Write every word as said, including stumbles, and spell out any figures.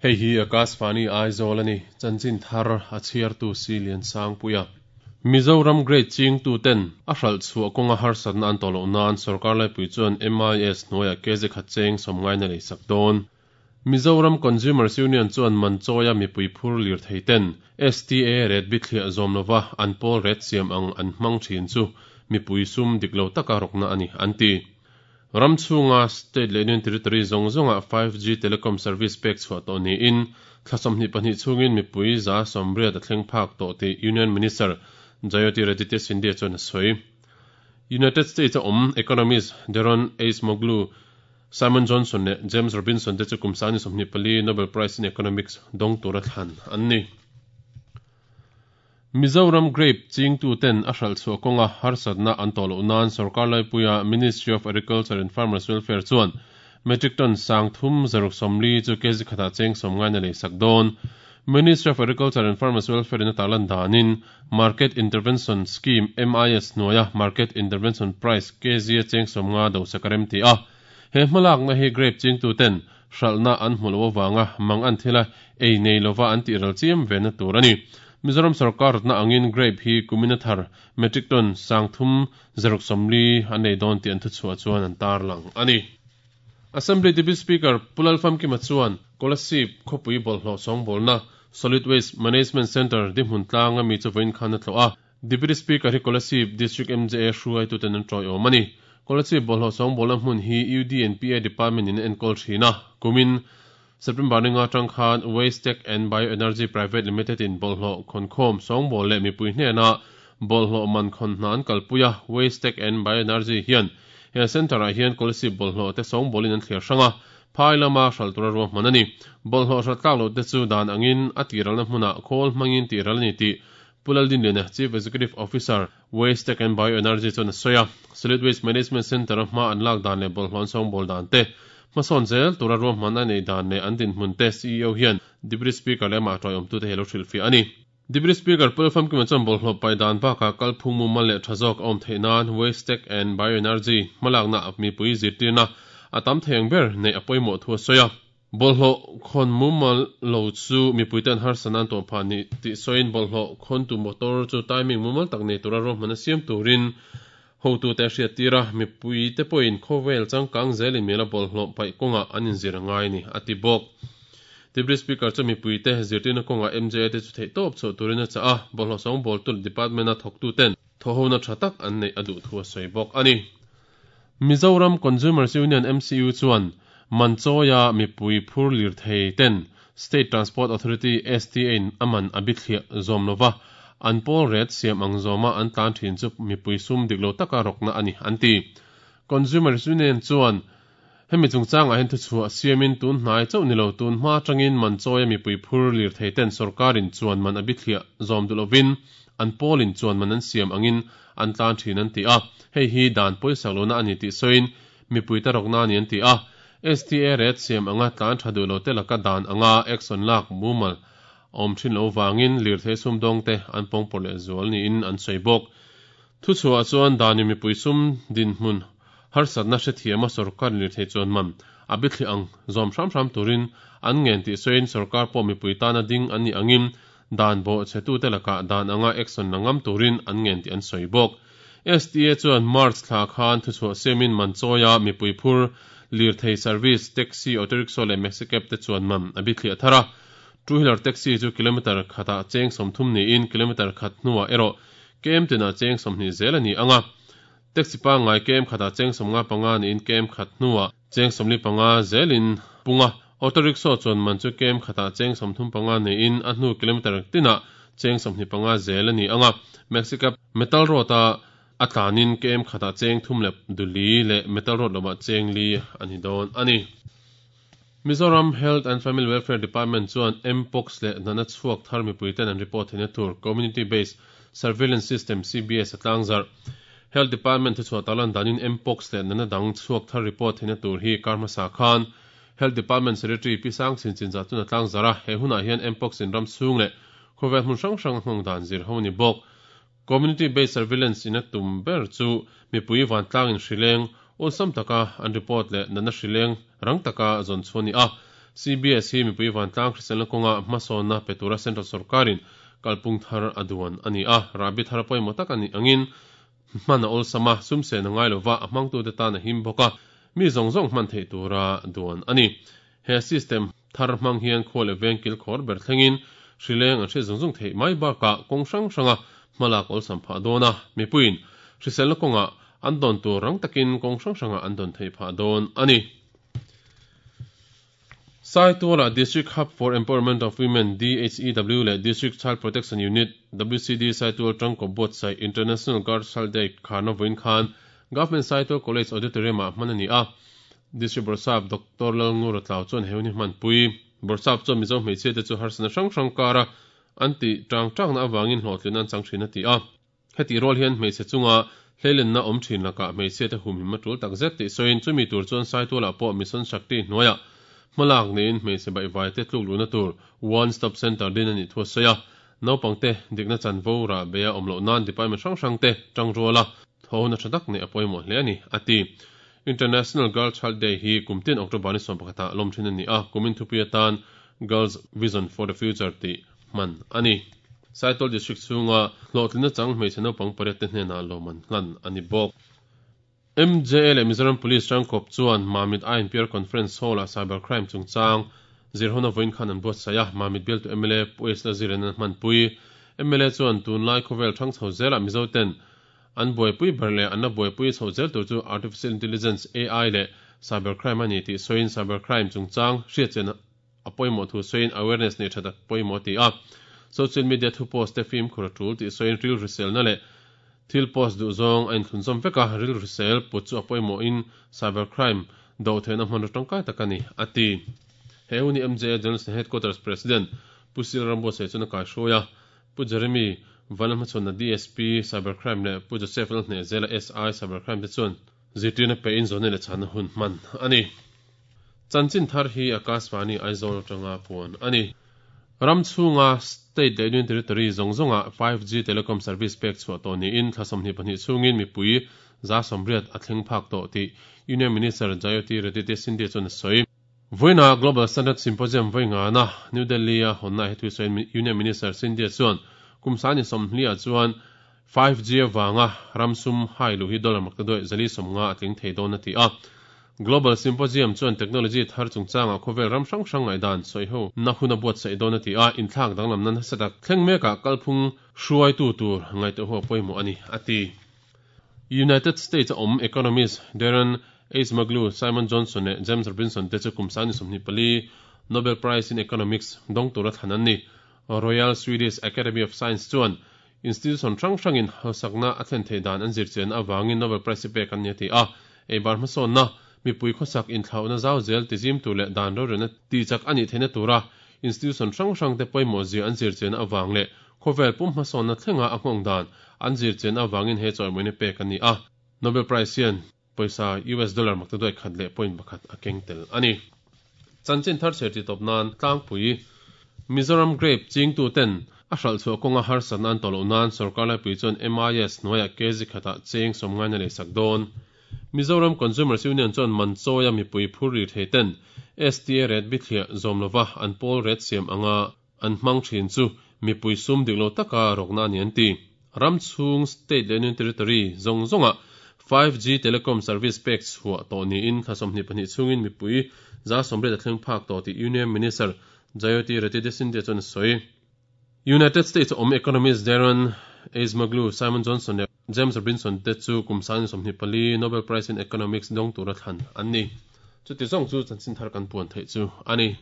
Hei hi Akashvani Aizawl ani chanchin thar a chhiartu si lian sang puia Mizoram Great Ching tu ten a hral chhuah kawnga harsatna an tawh loh nan sorkar laipui chuan M I S hnuaiah kg khat cheng sawmngai na lei sak dawn. Mizoram Consumers Union chuan manchawia mipui phur lir thei ten S T A ret bithliah zawm lova an pawl ret siam ang an hmang thin chu mipui sum diklo taka rokna ani an ti. Ramchhunga State leh Union Territory zawng zawnga five G telecom service pek chhuah tawh niin thlasawmhnih pahnih chungin mipui za sawmriat a thleng phak tawh tih Union Minister Jyotiraditya Scindia chuan a sawi. United States a awm economist Daron Acemoglu, Simon Johnson leh James Robinson te chu kum sangni sawmhnih pali Nobel Prize in Economics dawng tura thlan an ni. Mizoram Grape Chingtu ten a hral chhuah kawnga harsatna an tawh loh nan sorkar laipuia Ministry of Agriculture and Farmers Welfare chuan metric ton sang thum zaruk sawmli chu kg khatah cheng sawmngai na lei sak dawn. Ministry of Agriculture and Farmers Welfare in a tarlan danin Market Intervention Scheme M I S hnuaia Market Intervention Price kg a cheng sawmnga do sakarem ti a. He hmalak na hi grape chingtu ten hralna an hmu lo awanga mang an thila ei nei lova an tih ral chiam ve na tur ani. Mizoram sarkar na angin grape hi kumina thar metric ton sang thum zaruk sawmli an nei dawn tih an thu chhuah chuan an tar lang ani. Assembly Deputy Speaker Pulal Famkima chuan Kolasib khawpui bawlhhlawh sawngbawl Solid Waste Management Center dihmun tlanga mi chu vawiin khan a tlawh a. Deputy Speaker hi Kolasib District M J A hruai tu ten an tawi awm ani. Kolasib bawlhhlawh sawngbawl hmun hi U D and P A Department in enkawl thin a. Kumin September ninga tang khan Waste Tech and Bioenergy Private Limited in bawlhhlawh khonkhawm sawngbawl leh mipui hnena bawlhhlawh man khawn hnan kalpuia Waste Tech and Bioenergy hian he center ah hian Kolasib bawlhhlawh te sawngbawlin an thliar hranga phai lama hral tura ruahman ani. Bawlhhlawh hral tlak lo te chu dan angin a tiralna hmunah khawl hmangin tiral ani tih Pulal Dinliana Chief Executive Officer Waste Tech and Bioenergy chuan a sawi a. Solid Waste Management Center a hma an lak dan leh bawlhhlawh an sawngbawl dan te hmasawn zel tura ruahman a nei dan leh an dinhmun te C E O hian Deputy Speaker leh amah tawi awmtu te hi lo hrilhfiah ani. Deputy Speaker Pulal Famkima chuan bawlhhlawh pai dan bakah kalphung mumal leh tha zawk a awm theih nan Waste Tech and Bioenergy hmalakna mipui zirtirna a tam thei ang ber nei a pawimawh thu a sawi a. Bawlhhlawh khawn mumal lo chu mipui ten harsatna an tawh phah ni tih sawiin bawlhhlawh khawntu motor chu timing mumal tak nei tura ruahman a siam turin hotu te hriat tira mipui te pawhin khawvel changkang zelin mela bawlhhlawh paih kawnga an inzir angai ni a ti bawk. Deputy Speaker chu mipui te zirtirna kawnga M J A te chu theih tawp chhuah turin a chah a. Bawlhhlawh sawngbawl tu department a thawktu ten thawhona tha tak an nei a duh thu a sawi bawk ani. Mizoram Consumers Union M C U chuan manchawia mipui phur lir thei ten State Transport Authority S T A in aman a bithliah zawm lova an pawl ret siam ang zawma an tlan thin chu mipui sum diklo taka rokna ani an ti. Consumers Union chuan hemi chungchangah hian thu chhuah siamin tun hnai chauh nilo tun hma tangin manchawia mipui phur lir thei ten sorkarin chuan man a bithliah zawm duh lovin an pawlin chuan man an siam angin an tlan thin an ti a. Hei hi dan pawisa lona ani tih sawiin mipui ta rokna ani an ti a. S T A ret siam anga tlan tha duh lo te laka dan anga action lak mumal awm thin lo wangin lir thei sum dawng te an pawng pawr leh zual niin an sawi bawk. Thu chhuah chuan dani mipui sum din hmun harsatna hrethiam a sorkar lir thei chuan man a bithli ang zawm hram hram turin an ngen tih sawiin sorkar pawh mipui tana ding an ni angin dan bawh chhetu te laka dan anga action la ngam turin an ngen tih an sawi bawk. S T A chuan March thla khan thu chhuah siamin manchawia mipui phur lir thei service taxi auto rickshaw leh maxi cab te chuan man a bithliah thar a. Two wheeler taxi chu kilometer khatah cheng sawmthum niin kilometer khat hnuah erawh kem tinah cheng sawmhnih zel ani anga. Taxi pangngai kem khatah cheng sawmnga panga niin kem khat hnuah cheng sawmli panga zelin punga. Auto rickshaw chuan man chu kem khatah cheng sawmthum panga niin a hnu kilometer tinah cheng sawmhnih panga zel ani anga. Maxi cab metal road a a tlanin kem khatah cheng thum leh duli leh metal road lama cheng li ani dawn ani. Mizoram Health and Family Welfare Department chuan Mpox leh nana chhuak thar mipui ten an report theihna tur Community Based Surveillance System C B S a tlangzar. Health Department thu chhuah talan danin Mpox leh nana dang chhuak thar report theihna tur hi karmasa khan Health Department Secretary Pi Sang Chin Chin za chuna tlangzar a. He hunah hian Mpox in ram chhung leh khawvel hmun hrang hrang hmang dan zir ho ni bawk. Community Based Surveillance in a tum ber chu mipui van tlangin hrileng awlsam taka an report leh nana hrileng rang taka zawn chhuah ni a. C B S hi mipui vantlang hriselna kawnga hmasawnna pe tura central sorkarin kalpung thar a duan ani a. Rabi thar pawimawh tak ani angin hman a awlsam a, sumsen a ngai lova, a hmangtute tan a him bawk a, mi zawng zawng hman theih tura duan ani. He system thar hmang hian khua leh veng kil khawr ber thlengin hrileng an hriat zung zung theih mai bakah kawng hrang hranga hmalak awlsam phah dawn a, mipuiin hriselna kawnga an dawn tur rang takin kawng hrang hranga an dawn theih phah dawn ani. Saituala District Hub for Empowerment of Women D H E W leh District Child Protection Unit W C D Saitual tangkawp buatsaih International Girl Child Day kharna vawiin khan Government Saitual College Auditorium ah hman ani a. District Bawrhsap Doctor Lalngura Tlau chuan he hun hi hmanpui. Bawrhsap chuan Mizo hmeichhia te chu harsatna hrang hrang kara an ti tang tangna awangin hlawhtlin an chang thin a ti a. Heti rual hian hmeichhe chunga hleilenna awm thin lakah hmeichhia te humhim a tul takzet tih sawiin, chumi tur chuan Saitualah pawh Mission Shakti hnuaiah hmalak niin hmeichhe baihvai te tluk luhna tur One Stop Center din ani thu a sawi a. Naupang te dikna chanvo rah beia awm loh nan department hrang hrang te tang ruala thawhna tha tak nei a pawimawh hle ani a ti. International Girl Child Day hi kumtin October ni sawm pakhata lawm thin ani a, kumin thupui atan Girls Vision for the Future tih hman ani. Saitual District chhunga hlawhtlina chang hmeichhe naupang pariat te hnenah lawman hlan ani bawk. M J A leh Mizoram Police tangkawp chuan Mamit I N P R Conference Hall ah cybercrime chungchang zirhona vawiin khan an buatsaih a. Mamit bialtu M L A Pu Lalzirian an hmanpui. M L A chuan tunlai khawvel thang chho zelah Mizo ten an buaipui ber leh an la buaipui chho zel tur chu Artificial Intelligence A I leh cybercrime ani tih sawiin, cybercrime chungchang hriatchian a pawimawh thu sawiin, awareness nei tha tak pawimawh ti a. Social media thu post te fimkhur a tul tih sawiin, ril hriselna leh thil post duh zawng a inthlunzawm vek a, ril hrisel put chu a pawimawhin cybercrime do theihna hmanraw tangkai tak ani a ti. He huni M J A General Headquarters President Pu Sil Rambuatsaih chuan a kaihruai a. Pu Jeremy Vanlalhmachhawn D S P Cybercrime leh Pu Joseph Lalhnehzela S I Cybercrime te chuan zirtirna pe in zawhna leh chhanna hun hman ani. Chanchin thar hi Akashvani Aizawl atanga puan ani. Ram chhunga state leh union territory zawng zawnga five G telecom service pek chhuah tawh niin thla sawmhnih pahnih chhungin mipui za sawmriat a thleng phak tawh tih Union Minister Jyotiraditya Scindia chuan a sawi. Voina Global Standard Symposium voinga na New Delhi a honna he thu sawiin Union Minister Scindia chuan kum sani sawmhli ah chuan five G awanga ramsum hai lu hi dollar maktaduai zali sawmnga a tling thei dawn a ti a. Global Symposium chuan technology thar chungchanga khawvel ram hrang hrang ngai dan sawi ho na hun a buatsaih dawn a ti a. Inthlak danglam nan satak thleng mekah kalphung hruai tu tur ngai te ho pawimawh ani a ti. United States awm economist Daron Acemoglu, Simon Johnson leh James Robinson te chu kum sani sawmhnih pali Nobel Prize in Economics dawng tura thlan an ni. Royal Swedish Academy of Science chuan institution hrang hrangin hausakna a thlen thei dan an zirchian awangin Nobel Prize pek an ni a ti a. Eibar hmasawnna, mipui khawsak inthlauhna zau zel tizim tur leh dan rorelna ti chak ani theihna tura institution hrang hrang te pawimawh zia an zirchian awang leh khawvel pum hmasawnna thlenga a nghawng dan an zirchian awangin he chawimawina pek ani a. Nobel Prize hian pawisa U S dollar maktaduai khat leh point pakhat a keng tel ani. Chanchin thar chher ti tawp nan tlangpui. Mizoram grape chingtu ten a hral chhuah kawnga harsatna an tawh loh nan sorkar laipui chuan M I S hnuaiah kg khatah cheng sawmngaina lei sak dawn. Mizoram Consumers Union chuan man chawia mipui phur ri thei ten S T A rate bithliah zawm lova an pawl rate siam anga an hmang thin chu mipui sum dik lo taka rawkna ani an ti. Ram chhung state leh union territory zawng zawnga five G telecom service pek chhuah tawh niin thla sawmhnih pahnih chhungin mipui za sawmriat a thleng phak tawh tih Union Minister Jyotiraditya Scindia chuan a sawi. United States awm economist Daron Acemoglu, Simon Johnson leh James Robinson te chu kum sani sawmhnih pali Nobel Prize in Economics dawng tura thlan an ni. Chuti zawng chu chanchin thar kan puan theih chu ani.